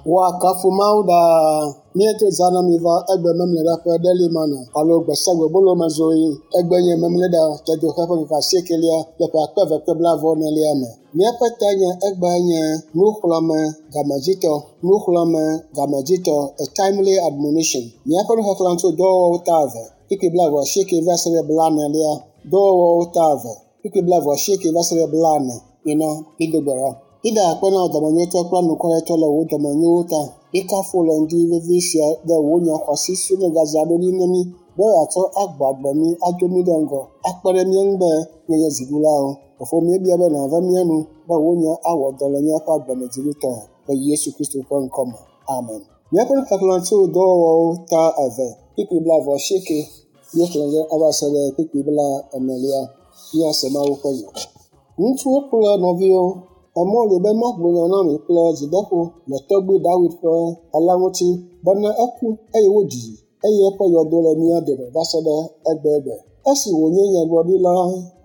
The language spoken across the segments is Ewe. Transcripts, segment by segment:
Woakafu Mawu ɖaa. Míedo zã na mi va egbe Memleɖa ƒe Daily Manna alo gbesiagbe bolomezɔɣi. Egbe nye Memleɖa dzedoxe ƒe ŋkeke asiekelia le ƒe akpe eve kple blaeve-vɔ-enelia me. Míaƒe tanya egbea nye nuxlɔ̃ame gamedzitɔ. Nuxlɔ̃ame gamedzitɔ, a timely admonition. Míaƒe nuxexlẽ tso dɔwɔwɔwo ta eve, kpukpui blaeve-vɔ-asieke va se ɖe blaenelia. Dɔwɔwɔwo ta eve, kpukpui blaeve-vɔ-asieke va se ɖe blaene. Mina mído gbe ɖa. Mída akpe na wò dɔmenyotɔ kple anukwaretɔ le wò dɔmenyowo ta. Míekafu wò le ŋdi vevi sia ɖe wò nya xɔasi siwo nègadzra ɖo ɖi na mí be yeatsɔ agbɔ agbe mí, ado mí ɖe ŋgɔ, akpe ɖe mía ŋu be míanye dziɖulawo. Fofo míebia be nàve mía nu be wò nya awɔ dɔ le míaƒe agbe me dziɖutɔe le Yesu Kristo ƒe ŋkɔ me. Amen. Míaƒe nuxexlẽ tso dɔwɔwɔwo ta eve, kpukpui blaeve-vɔ-asieke míexlẽ ge ava se ɖe kpukpui blaenelia. Míase Mawu ƒe nya. Ŋutsuwo kple nɔviwo, emɔ li be magblɔ nya na mi kple dzideƒo le tɔgbui Dawid ƒe ha la ŋuti bena eku eye woɖii eye eƒe yɔdo le mía dome va se ɖe egbegbe. Esi wònye nyagblɔɖila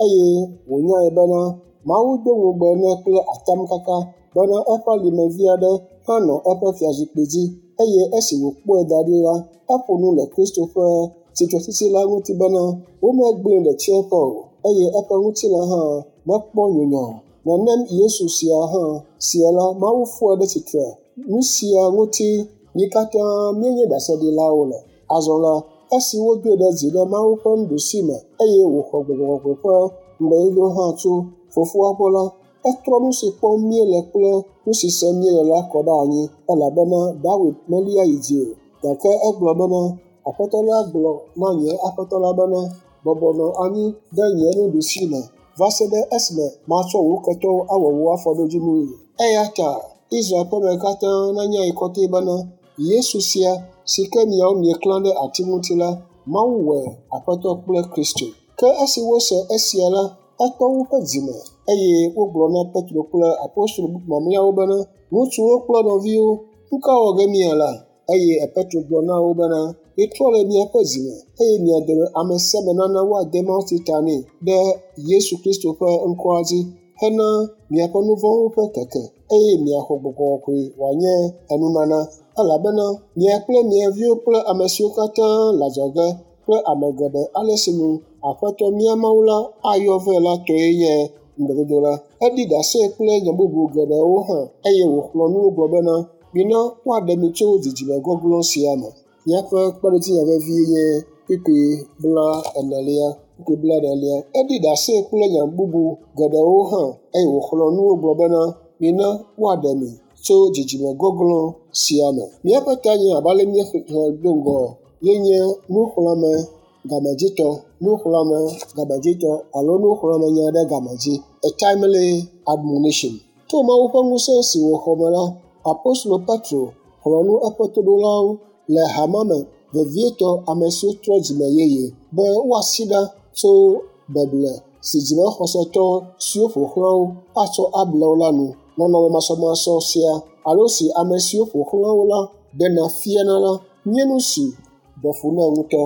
eye wònyae bena Mawu do ŋugbe nɛ kple atamkaka bena eƒe alimevi aɖe hã nɔ eƒe fiazikpui dzi eye esi wòkpɔe da ɖi la, eƒo nu le Kristo ƒe tsitretsitsi la ŋuti bena womegblẽe ɖe tsiẽƒe o eye eƒe ŋutilã hã mekpɔ nyunyɔ o. Nenem Yesu sia hã sia la, Mawu fɔe ɖe tsitre. Nu sia ŋuti mí katã míenye ɖaseɖilawo le. Azɔ la, esi wodoe ɖe dzi ɖe Mawu ƒe nuɖusi me eye wòxɔ Gbɔgbɔ Kɔkɔe ƒe ŋugbedodo hã tso Fofoa gbɔ la, etrɔ nu si kpɔm míele kple nu si sem míele la kɔ ɖe anyi elabena Dawid melia yi dzi o. Gake egblɔ bena, Aƒetɔ la gblɔ na nye Aƒetɔ la bena, bɔbɔ nɔ anyi ɖe nye nuɖusi me va se ɖe esime matsɔ wò ketɔwo awɔ wò afɔɖodzinui. Eya ta Israel ƒeme katã nanyae kɔtɛ bena, Yesu sia, si ke miawo mieklã ɖe ati ŋuti la, Mawu wɔe Aƒetɔ kple Kristo. Ke esi wose esia la, etɔ woƒe dzime eye wogblɔ na Petro kple apostolo mamlɛawo bena, Ŋutsuwo kple nɔviwo, nu ka wɔ ge míala? Eye Petro gblɔ na wo bena, Mitrɔ le miaƒe dzime, eye mia dome ame sia ame nana woade mawutsi ta nɛ ɖe Yesu Kristo ƒe ŋkɔa dzi hena miaƒe nu vɔ̃wo ƒe keke, eye miaxɔ Gbɔgbɔ Kɔkɔe wòanye enunana. Elabena mia kple mia viwo kple ame siwo katã le adzɔge kple ame geɖe ale si nu Aƒetɔ mía Mawu la ayɔ vɛ la tɔe nye ŋugbedodo la. Eɖi ɖase kple nya bubu geɖewo hã eye wòxlɔ̃ nu wo gblɔ bena, Mina woaɖe mi tso dzidzime gɔglɔ̃ sia me. Míaƒe kpeɖodzinya vevie nye kpukpui blaenelia. Kpukpui blaenelia. Eɖi ɖase kple nya bubu geɖewo hã eye wòxlɔ̃ nu wo gblɔ bena, Mina woaɖe mi tso dzidzime gɔglɔ̃ sia me. Míaƒe tanya abe ale míexlẽ do ŋgɔ ye nye nuxlɔ̃ame gamedzitɔ, nuxlɔ̃ame gamedzitɔ alo nuxlɔ̃amenya ɖe game dzi, a timely admonition. To Mawu ƒe ŋusẽ si wòxɔ me la, apostolo Petro xlɔ̃ nu eƒe toɖolawo le hamea me, vevietɔ ame siwo trɔ dzime yeye, be woasi ɖa tso beble si dzimexɔsetɔ siwo ƒo xlã wo atsɔ able wo la nu. Nɔnɔme masɔmasɔ sia alo si ame siwo ƒo xlã wo la ɖena fiana la nye nu si ɖe fu nɛ ŋutɔ.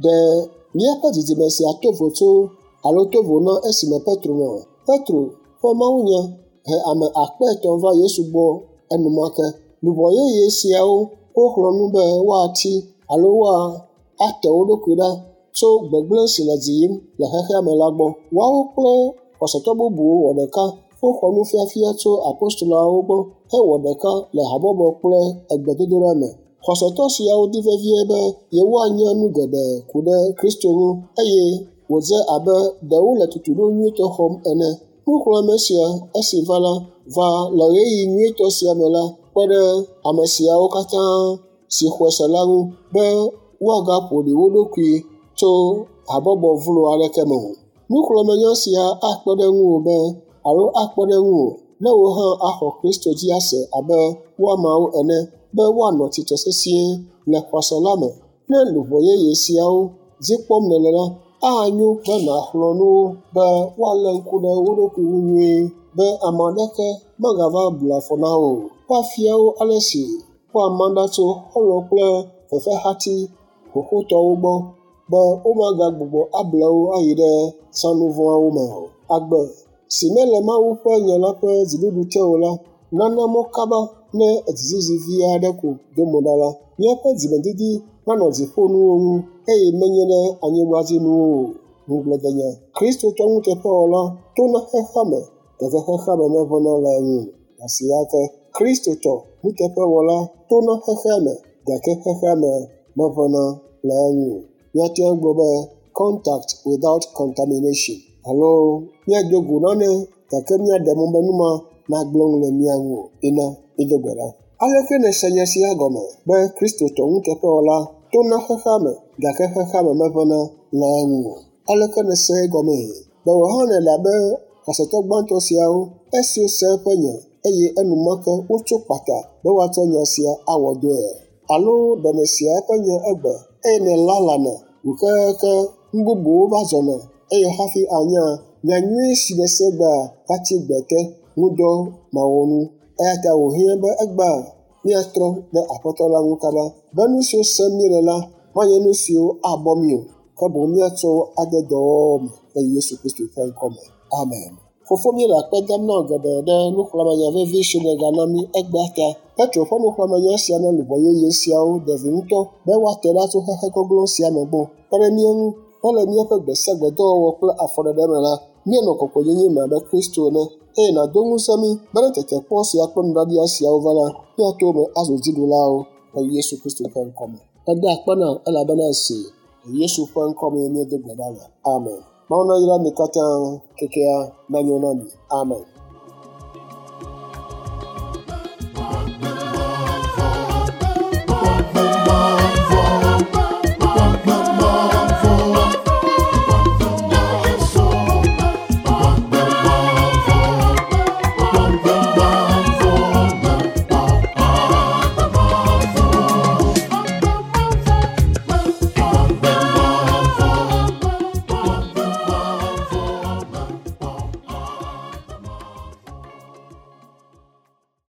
Ɖe míaƒe dzidzime sia to vo tso alo to vo na esime Petro nɔ? Petro ƒe mawunya he ame akpe etɔ̃ va Yesu gbɔ enumake. Luʋɔ yeye siawo woxlɔ̃ nu be woatsi alo woate wo ɖokui ɖa tso gbegblẽ si le dzi yim le xexea me la gbɔ. Woawo kple xɔsetɔ bubuwo wɔ ɖeka woxɔ nufiafia tso apostoloawo gbɔ hewɔ ɖeka le habɔbɔ kple egbedodoɖa me. Xɔsetɔ siawo di vevie be yewoanya nu geɖe ku ɖe Kristo ŋu eye wòdze abe ɖe wole tutuɖo nyuitɔ xɔm ene. Nuxlɔ̃ame sia esi va la, va le ɣeyiɣi nyuitɔ sia me la kpe ɖe ame siawo katã si xɔe se la ŋu be woagaƒo ɖi wo ɖokui tso habɔbɔ vlo aɖeke me o. Nuxlɔ̃amenya sia akpe ɖe ŋuwò be alo akpe ɖe ŋuwò ne wò hã axɔ Kristo dzi ase abe woamawo ene be woanɔ tsitre sesĩe le xɔse la me. Ne luʋɔ yeye siawo dzi kpɔm nèle la, anyo be nàxlɔ̃ nu wo be woalé ŋku ɖe wo ɖokui ŋu nyuie be ame aɖeke megava blu afɔ na wo o. Woafia wo ale si woama ɖa tso xɔlɔ̃ kple fefehati xoxotɔwo gbɔ be womagagbugbɔ able wo ayi ɖe zãnu vɔ̃awo me o. Agbe si mele Mawu ƒe nya la ƒe dziɖuɖu te o la nana mɔ kaba ne dzizizi vi aɖe ko do mo ɖa la, míaƒe dzimedidi nanɔ dziƒonuwo ŋu eye menye ɖe anyigbadzinuwo o. Ŋugbledenya. Kristotɔ nuteƒewɔla tona xexeame gake xexeame meʋẽna le eŋu o. Asia ke Kristotɔ nuteƒewɔla tona xexeame gake xexeame meʋẽna le eŋu o. Míate ŋu agblɔ be contact without contamination alo míado go nane gake míaɖe mɔ be nu ma nagblẽ nu le mía ŋu o. Ina mído gbe ɖa. Aleke nèse nya sia gɔme be Kristotɔ nuteƒewɔla tona xexeame gake xexeame meʋẽna le eŋu o? Aleke nèse egɔmee? Be wò hã nèle abe xɔsetɔ gbãtɔ siawo esi wose eƒe nya eye enumake wotso kpata be woatsɔ nya sia awɔ dɔe. Alo ɖe nèsea eƒe nya egbe eye nèlalana ŋu keke nu bubuwo va zɔna eye hafi anya nya nyui si nèse egbea va tsi gbe te ŋudɔ mawɔnu. Eya ta wòhiã be egbea míatrɔ ɖe Aƒetɔ la ŋu kaba be nu siwo sem míele la manye nu siwo abɔ mí o, ke boŋ míatsɔ wo ade dɔwɔwɔ me le Yesu Kristo ƒe ŋkɔme. Amen. Fofo míele akpe dam na wò geɖe ɖe nuxlɔ̃amenya vevi si nègana mí egbea ta. Petro ƒe nuxlɔ̃amenya sia na luʋɔ yeye siawo ɖe vi ŋutɔ be woate ɖa tso xexe gɔglɔ̃ sia me gbɔ. Kpe ɖe mía ŋu be le míaƒe gbe sia gbe dɔwɔwɔ kple afɔɖeɖe me la, míanɔ kɔkɔenyenye me abe Kristo ene eye nàdo ŋusẽ mí be ne tetekpɔ sia kple nuɖaɖia siawo va la, míato eme azu dziɖulawo le Yesu Kristo ƒe ŋkɔme. Meda akpe na wò elabena èsee. Le Yesu ƒe ŋkɔ mee míedo gbe ɖa le. Amen. Mawu nayra mi katã kekea nanyo na mi. Amen.